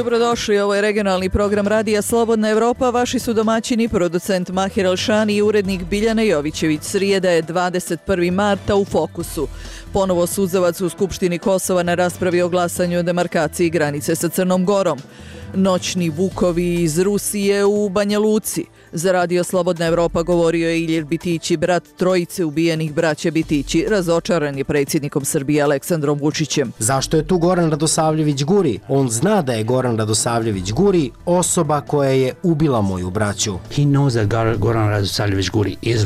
Dobrodošli, ovo je regionalni program Radija Slobodna Evropa. Vaši su domaćini, producent Mahir Alšani i urednik Biljana Jovićević. Srijeda je 21. marta u fokusu. Ponovo suzavac u Skupštini Kosova na raspravi o glasanju o demarkaciji granice sa Crnom Gorom. Noćni vukovi iz Rusije u Banja Luci. Za Radio Slobodna Evropa govorio je Ilir Bitići, brat trojice ubijenih braće Bitići. Razočaran je predsjednikom Srbije Aleksandrom Vučićem. Zašto je tu Goran Radosavljević Guri? On zna da je Goran Radosavljević Guri osoba koja je ubila moju braću. He knows that Goran Radosavljević Guri is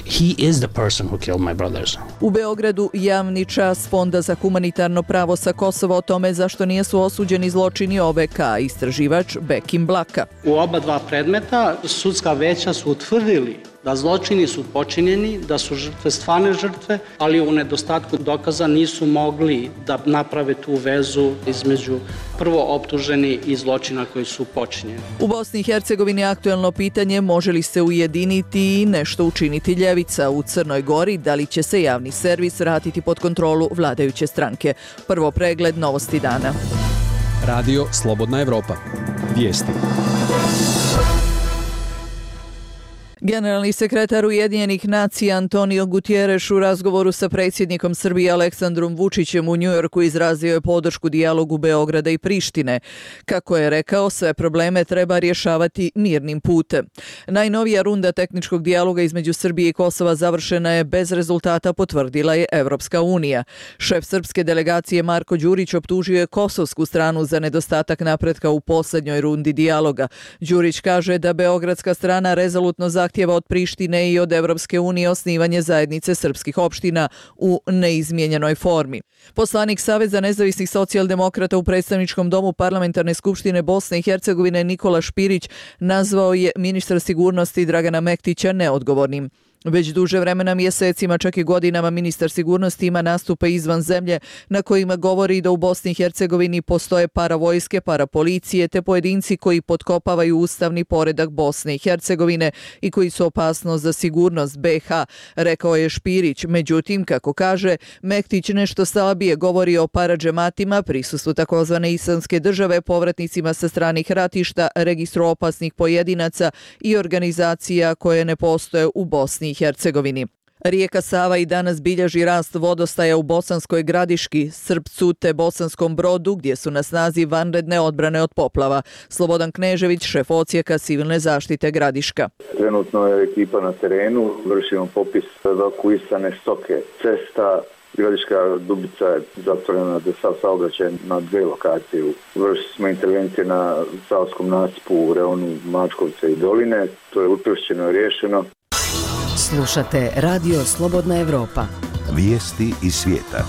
he is the person who killed my brothers. U Beogradu javni čas Fonda za humanitarno pravo sa Kosova o tome zašto nisu osuđeni zločini OVK, istraživač Bekim Blaka. U oba dva predmeta sudska veća su utvrdili da zločini su počinjeni, da su žrtve stvarne žrtve, ali u nedostatku dokaza nisu mogli da naprave tu vezu između prvo optuženi i zločina koji su počinjeni. U Bosni i Hercegovini je aktuelno pitanje može li se ujediniti i nešto učiniti ljevica. U Crnoj Gori da li će se javni servis vratiti pod kontrolu vladajuće stranke. Prvo pregled novosti dana. Radio Slobodna Evropa. Vijesti. Generalni sekretar Ujedinjenih nacija Antonio Guterres u razgovoru sa predsjednikom Srbije Aleksandrom Vučićem u Njujorku izrazio je podršku dijalogu Beograda i Prištine. Kako je rekao, sve probleme treba rješavati mirnim putem. Najnovija runda tehničkog dijaloga između Srbije i Kosova završena je bez rezultata, potvrdila je Evropska unija. Šef srpske delegacije Marko Đurić optužio je kosovsku stranu za nedostatak napretka u posljednjoj rundi dijaloga. Đurić kaže da beogradska strana rezolutno zahtjeva od Prištine i od Evropske unije osnivanje zajednice srpskih opština u neizmijenjenoj formi. Poslanik Saveza nezavisnih socijaldemokrata u predstavničkom domu Parlamentarne skupštine Bosne i Hercegovine Nikola Špirić nazvao je ministra sigurnosti Dragana Mektića neodgovornim. Već duže vremena, mjesecima, čak i godinama, ministar sigurnosti ima nastupe izvan zemlje na kojima govori da u Bosni i Hercegovini postoje paravojske, parapolicije te pojedinci koji potkopavaju ustavni poredak Bosne i Hercegovine i koji su opasnost za sigurnost BiH, rekao je Špirić. Međutim, kako kaže, Mektić nešto slabije govori o paradžematima, prisustvu takozvane islamske države, povratnicima sa stranih ratišta, registru opasnih pojedinaca i organizacija koje ne postoje u Bosni i Hercegovini. Rijeka Sava i danas bilježi rast vodostaja u Bosanskoj Gradiški, Srpcu te Bosanskom Brodu, gdje su na snazi vanredne odbrane od poplava. Slobodan Knežević, šef odsjeka civilne zaštite Gradiška. Trenutno je ekipa na terenu, vršimo popis evakuisane stoke. Cesta Gradiška Dubica je zatvorena za sav saobraćaj na dve lokacije. Vršili smo intervencije na Savskom nasipu u reonu Mačkovca i Doline. To je učvršćeno i riješeno. Slušate Radio Slobodna Evropa. Vijesti iz svijeta.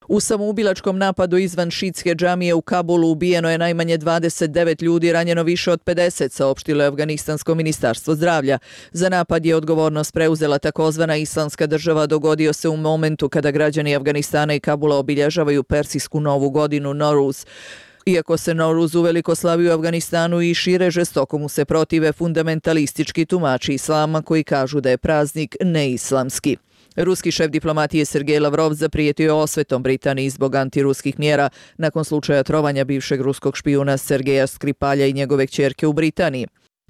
U samoubilačkom napadu izvan šitske džamije u Kabulu ubijeno je najmanje 29 ljudi, ranjeno više od 50, saopštilo je Afganistansko ministarstvo zdravlja. Za napad je odgovornost preuzela takozvana Islamska država. Dogodio se u momentu kada građani Afganistana i Kabula obilježavaju persijsku novu godinu Noruz. Iako se Noruz uveliko slavi u Afganistanu i šire, žestoko mu se protive fundamentalistički tumači islama koji kažu da je praznik neislamski. Ruski šef diplomatije Sergej Lavrov zaprijetio je osvetom Britaniji zbog antiruskih mjera nakon slučaja trovanja bivšeg ruskog špijuna Sergeja Skripalja i njegove kćerke u Britaniji.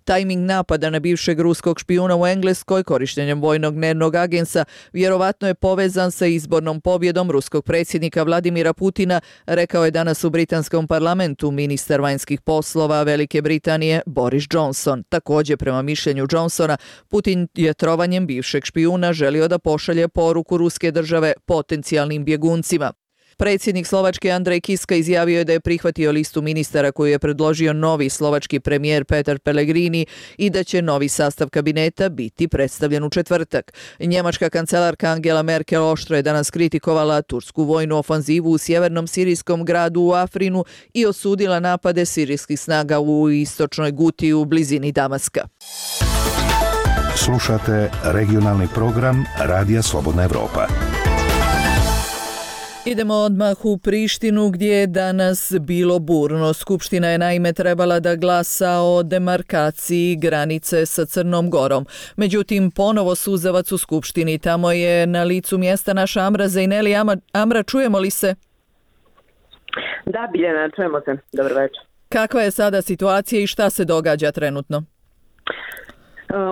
Tajming napada na bivšeg ruskog špijuna u Engleskoj korištenjem vojnog dnevnog agensa vjerovatno je povezan sa izbornom pobjedom ruskog predsjednika Vladimira Putina, rekao je danas u britanskom parlamentu ministar vanjskih poslova Velike Britanije Boris Johnson. Također, prema mišljenju Johnsona, Putin je trovanjem bivšeg špijuna želio da pošalje poruku ruske države potencijalnim bjeguncima. Predsjednik Slovačke Andrej Kiska izjavio je da je prihvatio listu ministara koju je predložio novi slovački premijer Petar Pellegrini i da će novi sastav kabineta biti predstavljen u četvrtak. Njemačka kancelarka Angela Merkel oštro je danas kritikovala tursku vojnu ofanzivu u sjevernom sirijskom gradu u Afrinu i osudila napade sirijskih snaga u istočnoj Guti u blizini Damaska. Slušate regionalni program Radija Slobodna Evropa. Idemo odmah u Prištinu gdje je danas bilo burno. Skupština je naime trebala da glasa o demarkaciji granice sa Crnom Gorom. Međutim, ponovo suzavac u Skupštini. Tamo je na licu mjesta naša Amra Zejneli. Amra, čujemo li se? Da, Biljana, čujemo se. Dobar večer. Kakva je sada situacija i šta se događa trenutno?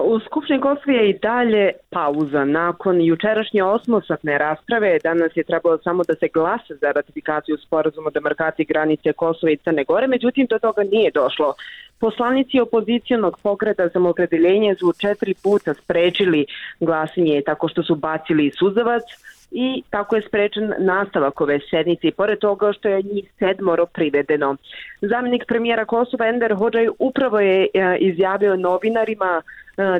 U Skupštini Kosova je i dalje pauza. Nakon jučerašnje 8-satne rasprave, danas je trebalo samo da se glasa za ratifikaciju sporazuma o demarkaciji granice Kosova i Crne Gore, međutim do toga nije došlo. Poslanici opozicionog pokreta Samoopredeljenje su 4 puta sprečili glasanje tako što su bacili suzavac i tako je sprečen nastavak ove sednice, pored toga što je njih 7 privedeno. Zamjenik premijera Kosova Enver Hodžaj upravo je izjavio novinarima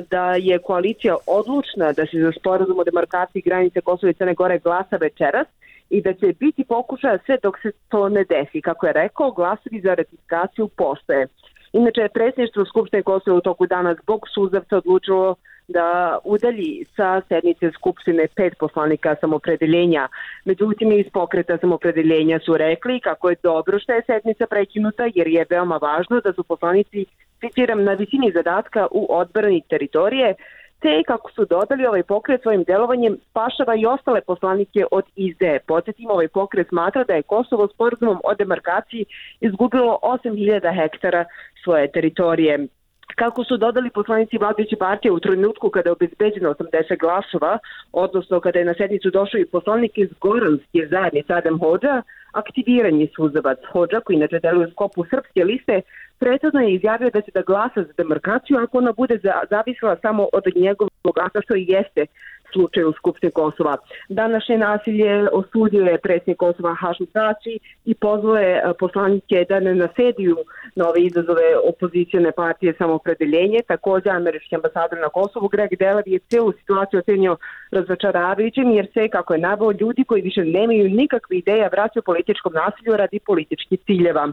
da je koalicija odlučna da se za sporazum o demarkaciji granice Kosova i Crne Gore glasa večeras i da će biti pokušaja sve dok se to ne desi. Kako je rekao, glasovi za ratifikaciju postoje. Inače, predsjedništvo Skupštine Kosova u toku dana zbog suzavca odlučilo da udalji sa sednice Skupštine 5 poslanika Samoopredeljenja. Međutim, iz pokreta Samoopredeljenja su rekli kako je dobro što je sednica prekinuta jer je veoma važno da su poslanici, citiram, na visini zadatka u odbrani teritorije, te kako su dodali ovaj pokret svojim delovanjem spašava i ostale poslanike od izdaje. Podsjetimo, ovaj pokret smatra da je Kosovo sporazumom o demarkaciji izgubilo 8.000 hektara svoje teritorije. Kako su dodali poslanici vladajuće partije u trenutku kada je obezbeđeno 80 glasova, odnosno kada je na sednicu došao i poslanik iz Goranske zajednice Adem Hodža, aktiviran je suzavac. Hodža, koji inače deluje u sklopu srpske liste, prethodno je izjavio da će da glasa za demarkaciju ako ona bude zavisila samo od njegovog glasa, što i jeste slučaj u Skupštini Kosova. Današnje nasilje osudio je predsjednik Kosova Hašim Tači i pozvao je poslanike da ne nasediju na ove izazove opozicione partije Samoopredeljenje. Također, američki ambasador na Kosovu Greg Delav je cijelu situaciju ocenio razočaravajućim jer se, kako je naveo, ljudi koji više nemaju nikakve ideja vraćaju političkom nasilju radi političkih ciljeva.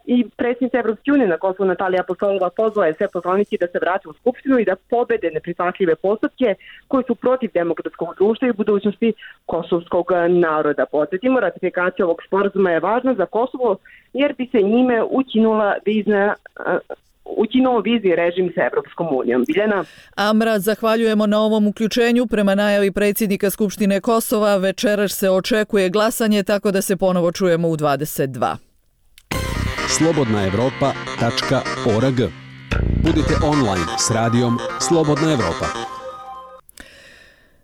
I predsjednica Evropske unije na Kosovu Natalija Apostolova pozvala je sve poslanike da se vrate u Skupštinu i da pobede neprihvatljive postupke koji su protiv demokratskog društva i budućnosti kosovskog naroda. Podsjetimo, ratifikacija ovog sporazuma je važna za Kosovo jer bi se njime ukinuo vizni režim sa Evropskom unijom. Biljana? Amra, zahvaljujemo na ovom uključenju. Prema najavi predsjednika Skupštine Kosova, večeras se očekuje glasanje, tako da se ponovo čujemo u 22. slobodnaevropa.org. Budite online s radijom Slobodna Evropa.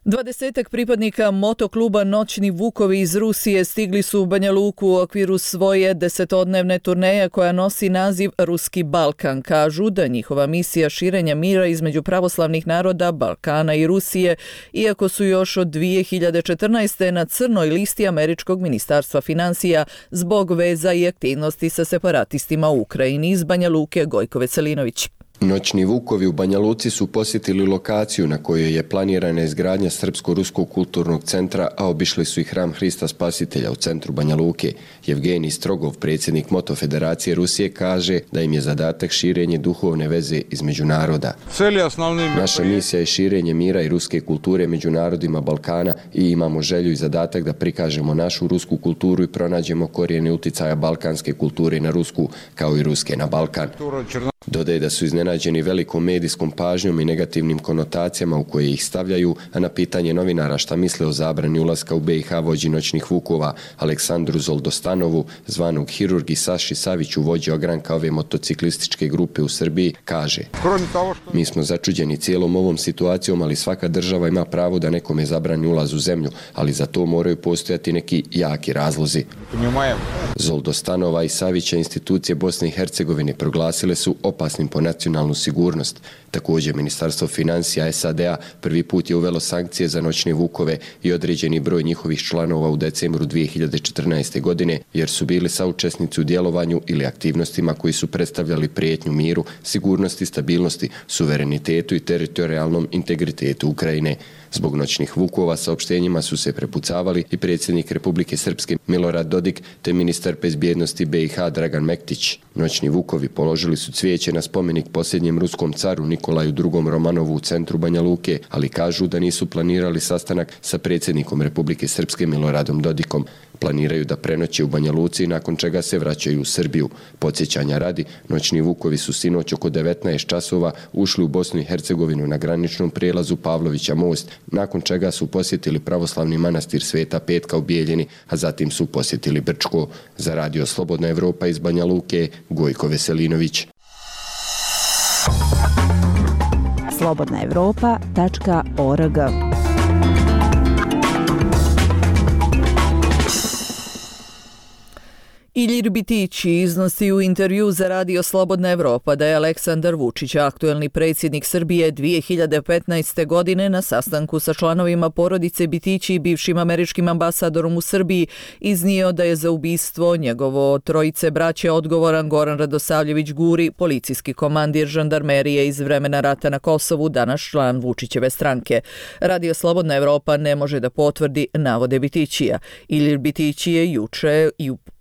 20 pripadnika motokluba Noćni Vukovi iz Rusije stigli su u Banja Luku u okviru svoje 10-dnevne turneje koja nosi naziv Ruski Balkan. Kažu da njihova misija širenja mira između pravoslavnih naroda Balkana i Rusije, iako su još od 2014. na crnoj listi Američkog ministarstva financija zbog veza i aktivnosti sa separatistima u Ukrajini. Iz Banja Luke, Gojko Veselinović. Noćni Vukovi u Banja Luci su posjetili lokaciju na kojoj je planirana izgradnja Srpsko-ruskog kulturnog centra, a obišli su i hram Hrista Spasitelja u centru Banja Luke. Evgenij Strogov, predsjednik Moto Federacije Rusije, kaže da im je zadatak širenje duhovne veze između naroda. Naša misija je širenje mira i ruske kulture među narodima Balkana i imamo želju i zadatak da prikažemo našu rusku kulturu i pronađemo korijene uticaja balkanske kulture na rusku, kao i ruske na Balkan. Dodaje da su iznenađeni velikom medijskom pažnjom i negativnim konotacijama u koje ih stavljaju, a na pitanje novinara šta misle o zabrani ulaska u BiH vođi Noćnih Vukova Aleksandru Zoldostanovu, zvanog Hirurg, i Saši Saviću, vođi ogranka ove motociklističke grupe u Srbiji, kaže: mi smo začuđeni cijelom ovom situacijom, ali svaka država ima pravo da nekome zabrani ulaz u zemlju, ali za to moraju postojati neki jaki razlozi. Zoldostanova i Savića institucije Bosne i Hercegovine proglasile su opasnim po nacionalnu sigurnost. Također, Ministarstvo financija SAD-a prvi put je uvelo sankcije za Noćne Vukove i određeni broj njihovih članova u decembru 2014. godine, jer su bili saučesnici u djelovanju ili aktivnostima koji su predstavljali prijetnju miru, sigurnosti, stabilnosti, suverenitetu i teritorijalnom integritetu Ukrajine. Zbog Noćnih Vukova saopštenjima su se prepucavali i predsjednik Republike Srpske Milorad Dodik te ministar bezbjednosti BiH Dragan Mektić. Noćni Vukovi položili su cvijeće na spomenik posljednjem ruskom caru Nikolaju II. Romanovu u centru Banja Luke, ali kažu da nisu planirali sastanak sa predsjednikom Republike Srpske Miloradom Dodikom. Planiraju da prenoće u Banja Luci, nakon čega se vraćaju u Srbiju. Podsjećanja radi, noćni vukovi su sinoć oko 19 časova ušli u Bosnu i Hercegovinu na graničnom prijelazu Pavlovića most, nakon čega su posjetili pravoslavni manastir Sveta Petka u Bijeljini, a zatim su posjetili Brčko. Za Radio Slobodna Evropa iz Banja Luke, Gojko Veselinović. slobodnaevropa.org. Ilir Bitići iznosi u intervju za Radio Slobodna Evropa da je Aleksandar Vučić, aktuelni predsjednik Srbije 2015. godine, na sastanku sa članovima porodice Bitići i bivšim američkim ambasadorom u Srbiji iznio da je za ubistvo njegovo trojice braće odgovoran Goran Radosavljević Guri, policijski komandir žandarmerije iz vremena rata na Kosovu, danas član Vučićeve stranke. Radio Slobodna Evropa ne može da potvrdi navode Bitićija. Ilir Bitići je juče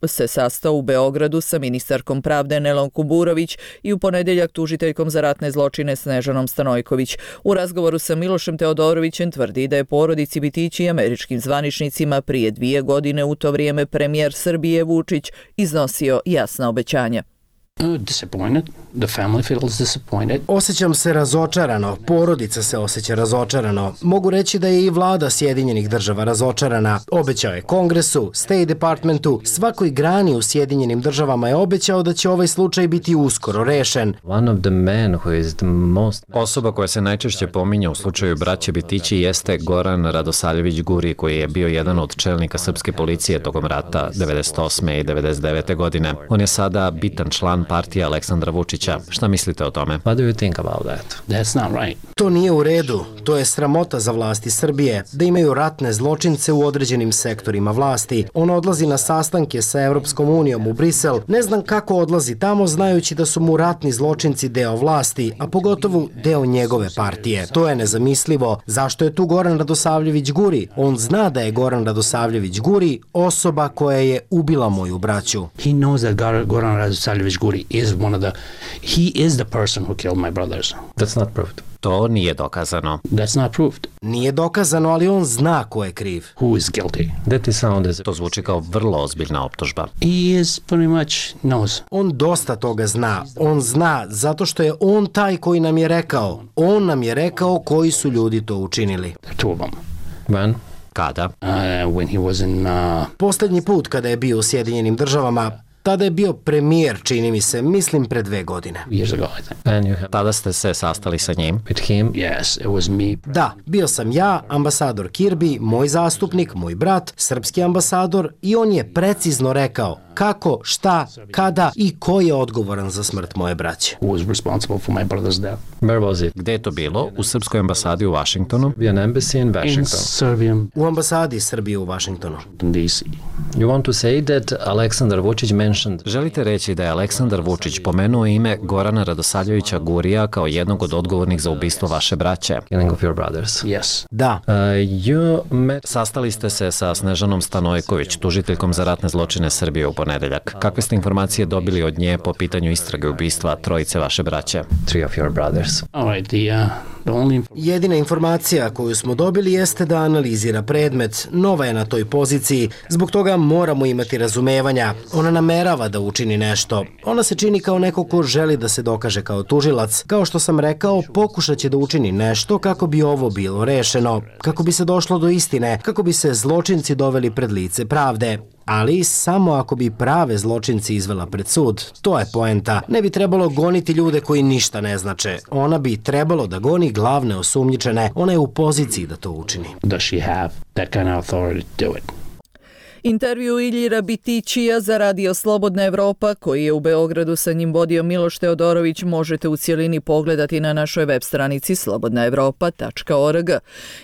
se sastao u Beogradu sa ministarkom pravde Nelom Kuburović i u ponedjeljak tužiteljkom za ratne zločine Snežanom Stanojković. U razgovoru sa Milošem Teodorovićem tvrdi da je porodici Bitići i američkim zvaničnicima prije 2 godine, u to vrijeme premijer Srbije Vučić, iznosio jasna obećanja. Disappointed. The family feels disappointed. Osjećam se razočarano, porodica se osjeća razočarano. Mogu reći da je i vlada Sjedinjenih država razočarana. Obećao je Kongresu, State Departmentu, svakoj grani u Sjedinjenim državama je obećao da će ovaj slučaj biti uskoro rešen. Osoba koja se najčešće pominja u slučaju braće Bitići jeste Goran Radosavljević Guri, koji je bio jedan od čelnika srpske policije tokom rata 98. i 99. godine. On je sada bitan član partije Aleksandra Vučića. Šta mislite o tome? What do you think about that? That's not right. To nije u redu. To je sramota za vlasti Srbije, da imaju ratne zločince u određenim sektorima vlasti. On odlazi na sastanke sa Evropskom unijom u Brisel. Ne znam kako odlazi tamo, znajući da su mu ratni zločinci deo vlasti, a pogotovo deo njegove partije. To je nezamislivo. Zašto je tu Goran Radosavljević Guri? On zna da je Goran Radosavljević Guri osoba koja je ubila moju braću. He knows that Goran Radosavljević Guri he is the person who killed my brothers. That's not proved. To nije dokazano. That's not proved. Nije dokazano, ali on zna ko je kriv. Who is guilty? To zvuči kao vrlo ozbiljna optužba. He is pretty much knows. On dosta toga zna. On zna zato što je on taj koji nam je rekao. On nam je rekao koji su ljudi to učinili. Two of them. When? Kada? When he was in... Posljednji put kada je bio u Sjedinjenim državama, tada je bio premijer, čini mi se, mislim pre 2 godine. Years ago, I think. Tada ste se sastali sa njim? Yes, it was me. Da, bio sam ja, ambasador Kirby, moj zastupnik, moj brat, srpski ambasador, i on je precizno rekao kako, šta, kada i ko je odgovoran za smrt moje braće. Who was responsible for my brother's death? Where was it? Gde je to bilo? U srpskoj ambasadi u Washingtonu? An embassy in Washington. U ambasadi Srbije u Washingtonu. DC. You want to say that Aleksandar Vučić mentioned... Želite reći da je Aleksandar Vučić pomenuo ime Gorana Radosavljevića Gurija kao jednog od odgovornih za ubistvo vaše braće? Killing of your brothers. Yes. Da. Sastali ste se sa Snežanom Stanojković, tužiteljkom za ratne zločine Srbije u ponedeljak. Kakve ste informacije dobili od nje po pitanju istrage ubistva trojice vaše braće? 3 of your brothers. All right, Jedina informacija koju smo dobili jeste da analizira predmet. Nova je na toj poziciji, zbog toga moramo imati razumevanja. Ona namerava da učini nešto. Ona se čini kao neko ko želi da se dokaže kao tužilac. Kao što sam rekao, pokušat će da učini nešto kako bi ovo bilo rešeno, kako bi se došlo do istine, kako bi se zločinci doveli pred lice pravde. Ali samo ako bi prave zločinci izvela pred sud. To je poenta. Ne bi trebalo goniti ljude koji ništa ne znače. Ona bi trebalo da goni glavne osumnjičene. Ona je u poziciji da to učini. Does she have that kind of authority to do it? Intervju Iljira Bitićija za Radio Slobodna Evropa, koji je u Beogradu sa njim vodio Miloš Teodorović, možete u cjelini pogledati na našoj web stranici slobodnaevropa.org.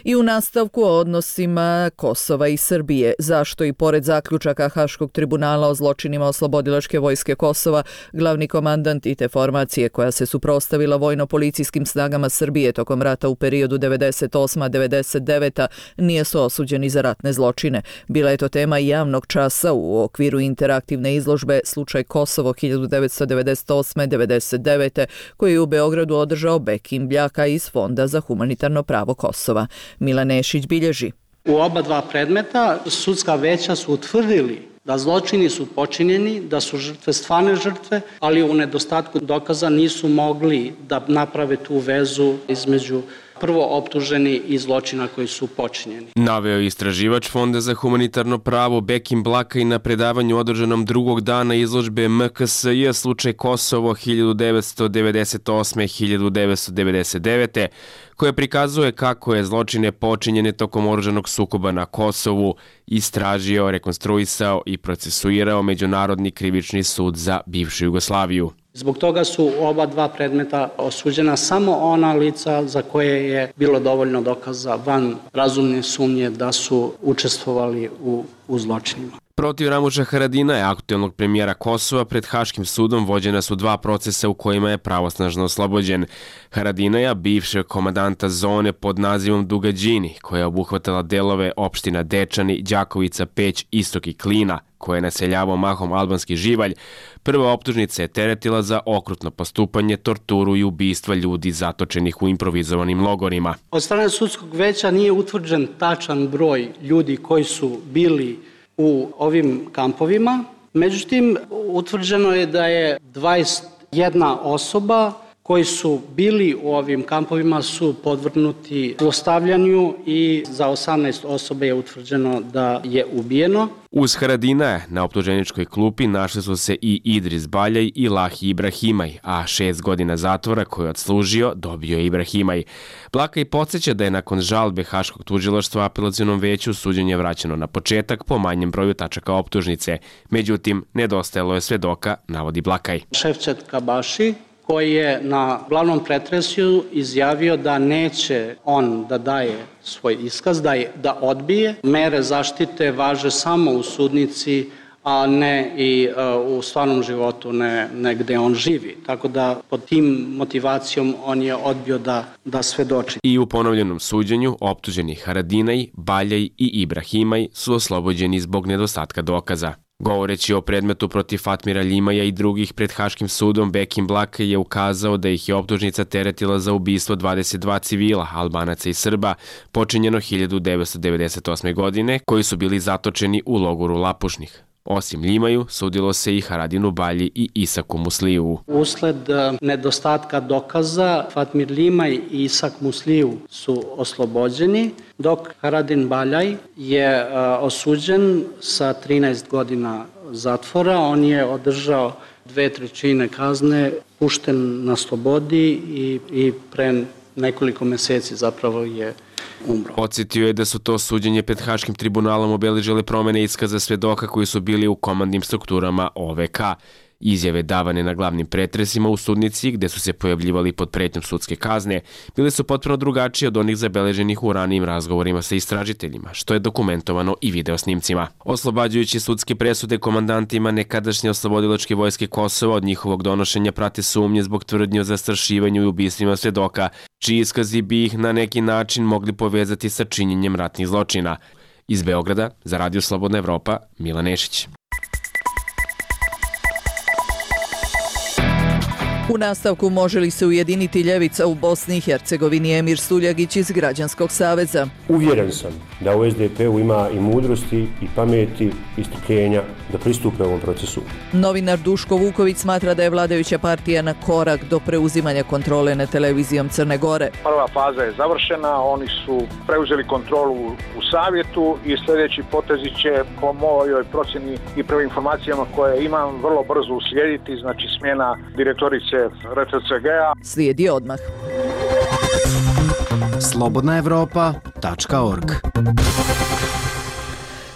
I u nastavku o odnosima Kosova i Srbije. Zašto i pored zaključaka Haškog tribunala o zločinima oslobodilačke vojske Kosova, glavni komandant i te formacije koja se suprotstavila vojno-policijskim snagama Srbije tokom rata u periodu 98-99 nije su osuđeni za ratne zločine. Bila je to tema javnog časa u okviru interaktivne izložbe Slučaj Kosovo 1998-99, koji je u Beogradu održao Bekim Bljaka iz Fonda za humanitarno pravo Kosova. Milan Nešić bilježi. U oba dva predmeta sudska veća su utvrdili da zločini su počinjeni, da su žrtve stvarne žrtve, ali u nedostatku dokaza nisu mogli da naprave tu vezu između prvo optuženi i zločina koji su počinjeni. Naveo istraživač Fonda za humanitarno pravo Bekim Blaka i na predavanju održanom drugog dana izložbe MKSJ Slučaj Kosovo 1998-1999, koja prikazuje kako je zločine počinjene tokom oružanog sukoba na Kosovu istražio, rekonstruisao i procesuirao Međunarodni krivični sud za bivšu Jugoslaviju. Zbog toga su oba dva predmeta osuđena samo ona lica za koje je bilo dovoljno dokaza van razumne sumnje da su učestvovali u zločinima. Protiv Ramuša Haradinaja, aktuelnog premijera Kosova, pred Haškim sudom vođena su dva procesa u kojima je pravosnažno oslobođen. Haradinaja, bivšeg komandanta zone pod nazivom Dugađini, koja je obuhvatala delove opština Dečani, Đakovica, Peć, Istok i Klina, koje je naseljavao mahom albanski živalj, prva optužnica je teretila za okrutno postupanje, torturu i ubistva ljudi zatočenih u improvizovanim logorima. Od strane sudskog veća nije utvrđen tačan broj ljudi koji su bili u ovim kampovima. Međutim, utvrđeno je da je 21 osoba koji su bili u ovim kampovima su podvrgnuti zlostavljanju i za 18 osoba je utvrđeno da je ubijeno. Uz Haradinaja na optuženičkoj klupi našli su se i Idris Baljaj i Lahi Ibrahimaj, a 6 godina zatvora koje je odslužio dobio je Ibrahimaj. Blakaj podsjeća da je nakon žalbe Haškog tužilaštva apelacionom veću suđenje vraćeno na početak po manjem broju tačaka optužnice. Međutim, nedostajalo je svedoka, navodi Blakaj. Šefčet Kabaši, koji je na glavnom pretresu izjavio da neće on da daje svoj iskaz, da odbije. Mere zaštite važe samo u sudnici, a ne i u stvarnom životu, ne gde on živi. Tako da pod tim motivacijom on je odbio da svedoči. I u ponovljenom suđenju optuženi Haradinaj, Baljaj i Ibrahimaj su oslobođeni zbog nedostatka dokaza. Govoreći o predmetu protiv Fatmira Ljimaja i drugih pred Haškim sudom, Bekim Blaka je ukazao da ih je optužnica teretila za ubistvo 22 civila, Albanaca i Srba, počinjeno 1998. godine, koji su bili zatočeni u logoru Lapušnih. Osim Ljimaju, sudilo se i Haradinu Balji i Isaku Musliju. Usled nedostatka dokaza, Fatmir Ljimaj i Isak Musliju su oslobođeni, dok Haradin Baljaj je osuđen sa 13 godina zatvora. On je održao 2/3 kazne, pušten na slobodi i pre nekoliko meseci zapravo je umro. Podsjetio je da su to suđenje pred Haškim tribunalom obeležile promene iskaza svedoka koji su bili u komandnim strukturama OVK. Izjave davane na glavnim pretresima u sudnici, gde su se pojavljivali pod pretnjom sudske kazne, bile su potpuno drugačije od onih zabeleženih u ranijim razgovorima sa istražiteljima, što je dokumentovano i videosnimcima. Oslobađajući sudske presude komandantima nekadašnje oslobodilačke vojske Kosova od njihovog donošenja prate sumnje zbog tvrdnje o zastrašivanju i ubistvima svedoka, čiji iskazi bi ih na neki način mogli povezati sa činjenjem ratnih zločina. Iz Beograda, za Radio Slobodna Evropa, Milan Nešić. U nastavku može li se ujediniti ljevica u Bosni i Hercegovini, Emir Suljagić iz Građanskog saveza. Uvjeren sam da u SDP-u ima i mudrosti i pameti i strpljenja da pristupe ovom procesu. Novinar Duško Vuković smatra da je vladajuća partija na korak do preuzimanja kontrole nad televizijom Crne Gore. Prva faza je završena, oni su preuzeli kontrolu u savjetu i sljedeći potezi će po mojoj procjeni i prvim informacijama koje imam vrlo brzo uslijediti, znači smjena direktorice RTCG-a. Slijedi odmah. slobodnaevropa.org.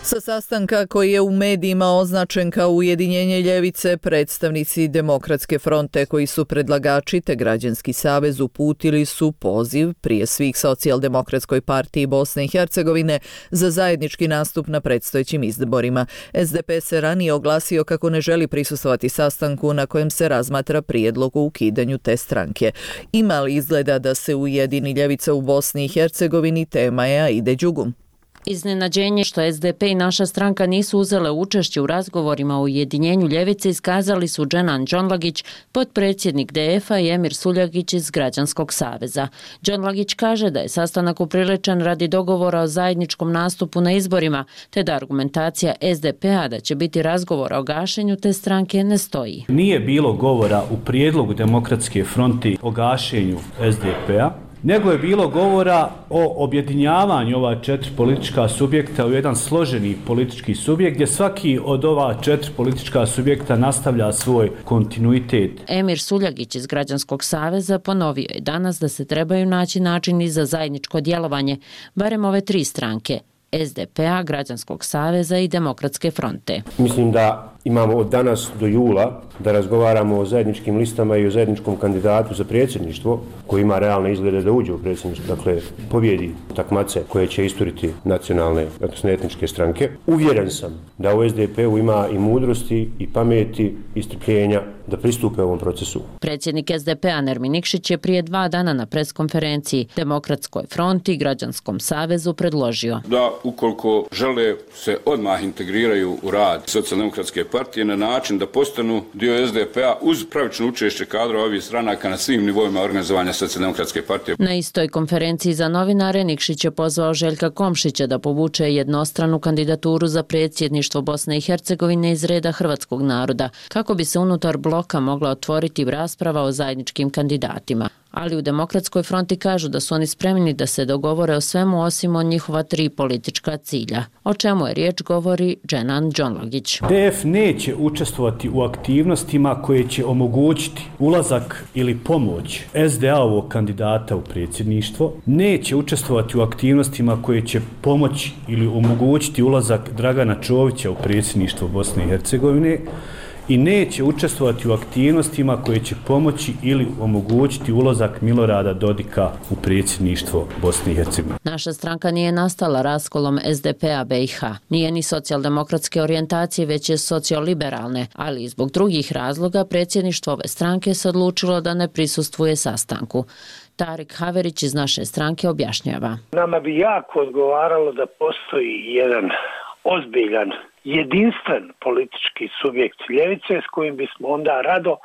Sa sastanka koji je u medijima označen kao ujedinjenje ljevice, predstavnici Demokratske fronte koji su predlagači te Građanski savez uputili su poziv prije svih Socijaldemokratskoj partiji Bosne i Hercegovine za zajednički nastup na predstojećim izborima. SDP se ranije oglasio kako ne želi prisustvovati sastanku na kojem se razmatra prijedlog o ukidanju te stranke. Ima li izgleda da se ujedini ljevica u Bosni i Hercegovini, tema je Aide Đugum. Iznenađenje što SDP i naša stranka nisu uzele učešće u razgovorima o ujedinjenju ljevice iskazali su Dženan Džonlagić, potpredsjednik DF-a i Emir Suljagić iz Građanskog saveza. Džonlagić kaže da je sastanak upriličen radi dogovora o zajedničkom nastupu na izborima, te da argumentacija SDP-a da će biti razgovora o gašenju te stranke ne stoji. Nije bilo govora u prijedlogu Demokratske fronte o gašenju SDP-a, nego je bilo govora o objedinjavanju ova 4 politička subjekta u jedan složeni politički subjekt gdje svaki od ova 4 politička subjekta nastavlja svoj kontinuitet. Emir Suljagić iz Građanskog saveza ponovio je danas da se trebaju naći načini za zajedničko djelovanje, barem ove 3 stranke, SDP-a, Građanskog saveza i Demokratske fronte. Mislim da imamo od danas do jula da razgovaramo o zajedničkim listama i o zajedničkom kandidatu za predsjedništvo koji ima realne izglede da uđe u predsjedništvo, dakle pobjedi takmace koje će isturiti nacionalne, odnosno etničke stranke. Uvjeren sam da u SDP-u ima i mudrosti i pameti i strpljenja da pristupe ovom procesu. Predsjednik SDP-a Nermin Nikšić je prije 2 dana na preskonferenciji Demokratskoj fronti i Građanskom savezu predložio da ukoliko žele se odmah integriraju u rad Socijaldemokratske partije na način da postanu dio SDP-a uz pravično učešće kadrova ovih stranaka na svim nivoima organizovanja Socijaldemokratske partije. Na istoj konferenciji za novinare Nikšić je pozvao Željka Komšića da povuče jednostranu kandidaturu za predsjedništvo Bosne i Hercegovine iz reda hrvatskog naroda, kako bi se unutar bloka mogla otvoriti rasprava o zajedničkim kandidatima. Ali u Demokratskoj fronti kažu da su oni spremni da se dogovore o svemu osim o njihova 3 politička cilja. O čemu je riječ govori Dženan Džonlagić. DF neće učestvovati u aktivnostima koje će omogućiti ulazak ili pomoć SDA-ovog kandidata u predsjedništvo, neće učestvovati u aktivnostima koje će pomoći ili omogućiti ulazak Dragana Čovića u predsjedništvo Bosne i Hercegovine, i neće učestvovati u aktivnostima koje će pomoći ili omogućiti ulazak Milorada Dodika u predsjedništvo Bosne i Hercegovine. Naša stranka nije nastala raskolom SDP-a BiH. Nije ni socijaldemokratske orijentacije, već je socioliberalne, ali i zbog drugih razloga predsjedništvo ove stranke se odlučilo da ne prisustvuje sastanku. Tarik Haverić iz naše stranke objašnjava. Nama bi jako odgovaralo da postoji jedan ozbiljan jedinstven politički subjekt ljevice s kojim bismo onda rado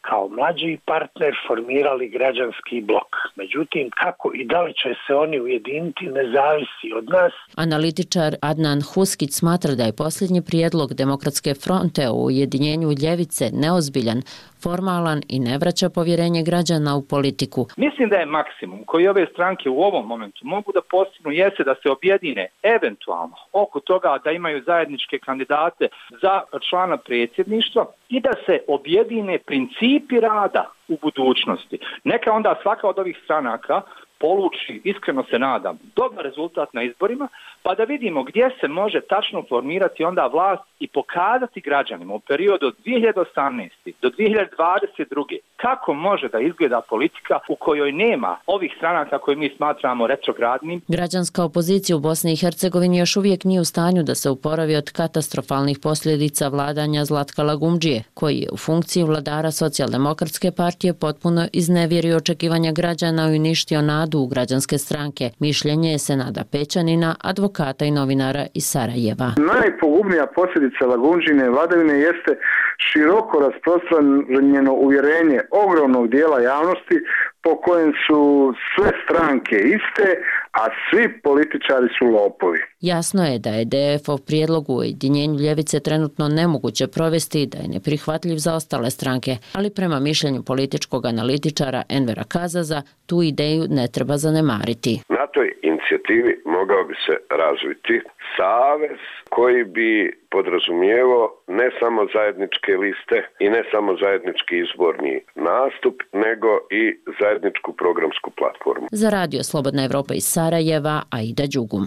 kao mlađi partner formirali građanski blok. Međutim, kako i da li će se oni ujediniti ne zavisi od nas. Analitičar Adnan Huskić smatra da je posljednji prijedlog Demokratske fronte o ujedinjenju ljevice neozbiljan, formalan i ne vraća povjerenje građana u politiku. Mislim da je maksimum koji ove stranke u ovom momentu mogu da postignu jeste da se objedine eventualno oko toga da imaju zajedničke kandidate za člana predsjedništva i da se objedine principi rada u budućnosti. Neka onda svaka od ovih stranaka poluči, iskreno se nadam, dobar rezultat na izborima, pa da vidimo gdje se može tačno formirati onda vlast i pokazati građanima u periodu od 2018. do 2022. kako može da izgleda politika u kojoj nema ovih stranaka koje mi smatramo retrogradnim. Građanska opozicija u Bosni i Hercegovini još uvijek nije u stanju da se oporavi od katastrofalnih posljedica vladanja Zlatka Lagumdžije, koji je u funkciji vladara Socijaldemokratske partije potpuno iznevjerio očekivanja građana i uništio nadu u građanske stranke. Mišljenje je Senada Pećanina, advokata i novinara iz Sarajeva. Najpogubnija posljedica Lagumdžine vladavine jeste široko rasprostranjeno uvjerenje ogromnog dijela javnosti po kojem su sve stranke iste, a svi političari su lopovi. Jasno je da je DF-ov prijedlog u ujedinjenju ljevice trenutno nemoguće provesti i da je neprihvatljiv za ostale stranke, ali prema mišljenju političkog analitičara Envera Kazaza tu ideju ne treba zanemariti. Na toj inicijativi mogao bi se razviti savez koji bi podrazumijevao ne samo zajedničke liste i ne samo zajednički izborni nastup, nego i zajedničku programsku platformu. Za Radio Slobodna Evropa iz Sarajeva, Aida Đugum.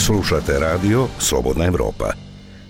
Slušate Radio Slobodna Evropa.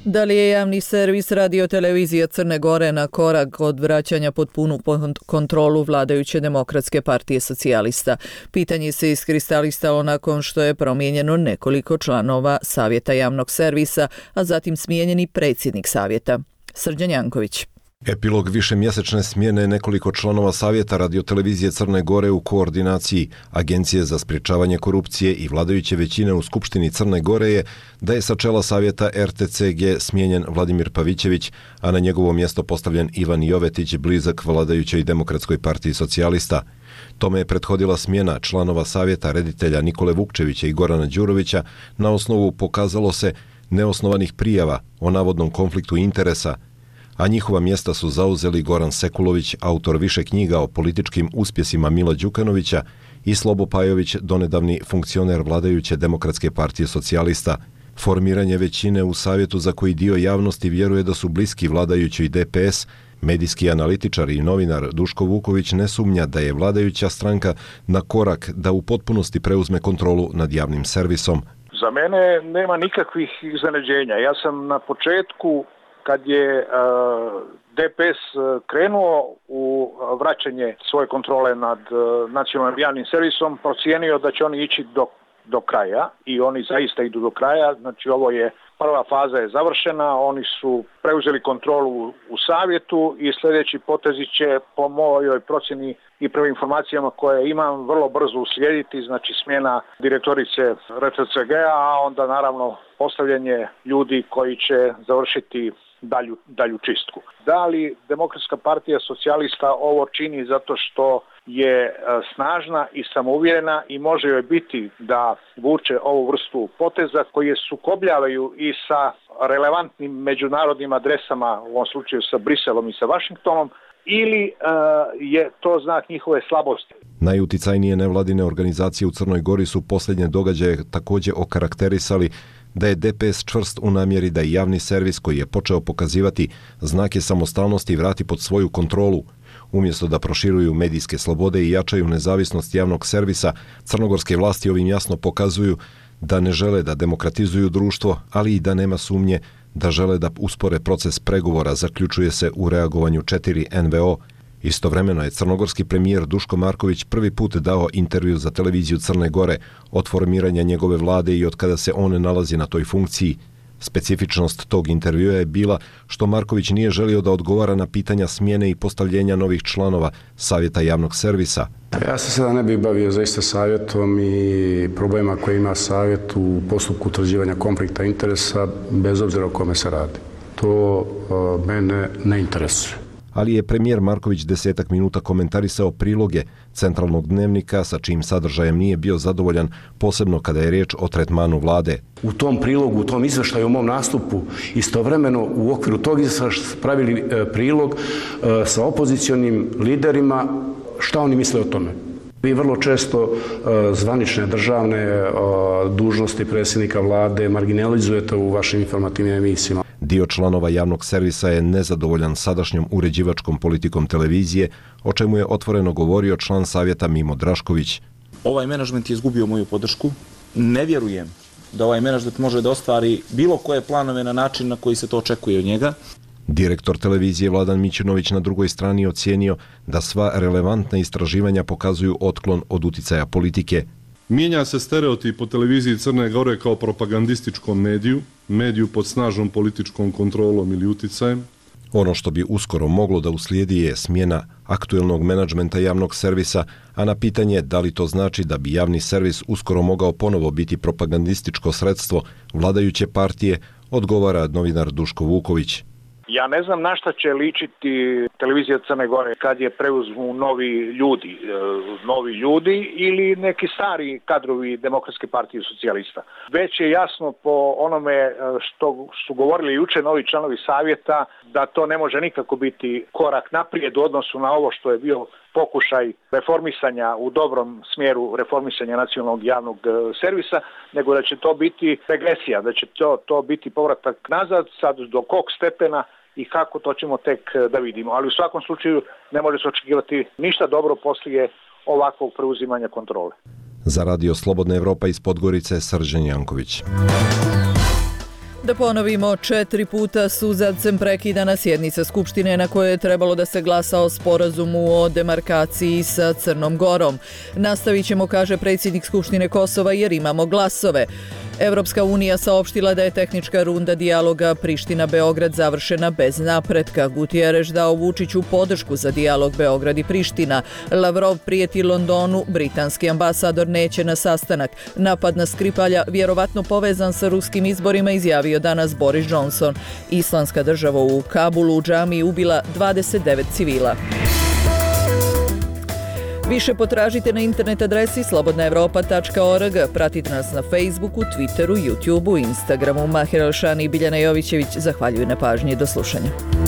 Da li je javni servis Radio-televizija Crne Gore na korak od vraćanja pod punu kontrolu vladajuće Demokratske partije socijalista? Pitanje se iskristalisalo nakon što je promijenjeno nekoliko članova Savjeta javnog servisa, a zatim smijenjeni predsjednik savjeta. Srđan Janković. Epilog višemjesečne smjene nekoliko članova Savjeta radiotelevizije Crne Gore u koordinaciji Agencije za sprječavanje korupcije i vladajuće većine u Skupštini Crne Gore je da je sa čela Savjeta RTCG smijenjen Vladimir Pavićević, a na njegovo mjesto postavljen Ivan Jovetić, blizak vladajućoj Demokratskoj partiji socijalista. Tome je prethodila smjena članova Savjeta reditelja Nikole Vukčevića i Gorana Đurovića na osnovu, pokazalo se, neosnovanih prijava o navodnom konfliktu interesa, a njihova mjesta su zauzeli Goran Sekulović, autor više knjiga o političkim uspjesima Mila Đukanovića, i Slobo Pajović, donedavni funkcioner vladajuće Demokratske partije socijalista. Formiranje većine u savjetu, za koji dio javnosti vjeruje da su bliski vladajućoj DPS, medijski analitičar i novinar Duško Vuković ne sumnja da je vladajuća stranka na korak da u potpunosti preuzme kontrolu nad javnim servisom. Za mene nema nikakvih iznenađenja. Ja sam na početku, kad je DPS krenuo u vraćanje svoje kontrole nad nacionalnim javnim servisom, procijenio da će oni ići do kraja i oni zaista idu do kraja. Znači, ovo je prva faza je završena, oni su preuzeli kontrolu u savjetu i sljedeći potezi će, po mojoj procjeni i prvim informacijama koje imam, vrlo brzo uslijediti, znači smjena direktorice RTCG-a, a onda naravno postavljanje ljudi koji će završiti dalju čistku. Da li Demokratska partija socijalista ovo čini zato što je snažna i samouvjerena i može joj biti da vuče ovu vrstu poteza koji je sukobljavaju i sa relevantnim međunarodnim adresama, u ovom slučaju sa Briselom i sa Vašingtonom, ili je to znak njihove slabosti? Najuticajnije nevladine organizacije u Crnoj Gori su posljednje događaje također okarakterisali da je DPS čvrst u namjeri da i javni servis, koji je počeo pokazivati znake samostalnosti, vrati pod svoju kontrolu. Umjesto da proširuju medijske slobode i jačaju nezavisnost javnog servisa, crnogorske vlasti ovim jasno pokazuju da ne žele da demokratizuju društvo, ali i da nema sumnje da žele da uspore proces pregovora, zaključuje se u reagovanju 4 NVO. Istovremeno je crnogorski premijer Duško Marković prvi put dao intervju za televiziju Crne Gore od formiranja njegove vlade i od kada se on nalazi na toj funkciji. Specifičnost tog intervjua je bila što Marković nije želio da odgovara na pitanja smjene i postavljenja novih članova Savjeta javnog servisa. Ja se sada ne bih bavio zaista savjetom i problema koje ima savjet u postupku utvrđivanja konflikta interesa, bez obzira o kome se radi. To mene ne interesuje. Ali je premijer Marković 10 minuta komentarisao priloge centralnog dnevnika sa čijim sadržajem nije bio zadovoljan, posebno kada je riječ o tretmanu vlade. U tom prilogu, u tom izveštaju, u mom nastupu, istovremeno u okviru tog izvještaja pravili prilog sa opozicionim liderima šta oni misle o tome. Vi vrlo često zvanične državne dužnosti predsjednika vlade marginalizujete u vašim informativnim emisijama. Dio članova javnog servisa je nezadovoljan sadašnjom uređivačkom politikom televizije, o čemu je otvoreno govorio član savjeta Mimo Drašković. Ovaj menadžment je izgubio moju podršku. Ne vjerujem da ovaj menadžment može da ostvari bilo koje planove na način na koji se to očekuje od njega. Direktor televizije Vladan Mićunović na drugoj strani ocijenio da sva relevantna istraživanja pokazuju otklon od uticaja politike. Mijenja se stereotip o televiziji Crne Gore kao propagandističkom mediju pod snažnom političkom kontrolom ili uticajem. Ono što bi uskoro moglo da uslijedi je smjena aktuelnog menadžmenta javnog servisa, a na pitanje da li to znači da bi javni servis uskoro mogao ponovo biti propagandističko sredstvo vladajuće partije, odgovara novinar Duško Vuković. Ja ne znam na šta će ličiti televizija Crne Gore kad je preuzmu novi ljudi ili neki stari kadrovi Demokratske partije socijalista. Već je jasno po onome što su govorili juče novi članovi savjeta da to ne može nikako biti korak naprijed u odnosu na ovo što je bio pokušaj reformisanja u dobrom smjeru reformisanja nacionalnog javnog servisa, nego da će to biti regresija, da će to biti povratak nazad, sad do kog stepena i kako, to ćemo tek da vidimo. Ali u svakom slučaju ne može se očekivati ništa dobro poslije ovakvog preuzimanja kontrole. Za Radio Slobodna Evropa iz Podgorice, Srđan Janković. Da ponovimo, 4 puta suzavcem prekidana sjednica Skupštine na kojoj je trebalo da se glasa o sporazumu o demarkaciji sa Crnom Gorom. Nastavit ćemo, kaže predsjednik Skupštine Kosova, jer imamo glasove. Evropska unija saopštila da je tehnička runda dijaloga Priština-Beograd završena bez napretka. Gutierrez dao Vučiću podršku za dijalog Beograd i Priština. Lavrov prijeti Londonu, britanski ambasador neće na sastanak. Napad na Skripalja vjerovatno povezan sa ruskim izborima, izjavio danas Boris Johnson. Islamska država u Kabulu u džamiji ubila 29 civila. Više potražite na internet adresi slobodnaevropa.org. Pratite nas na Facebooku, Twitteru, YouTubeu, Instagramu. Mahir Alšani i Biljana Jovićević zahvaljuju na pažnji. Do slušanja.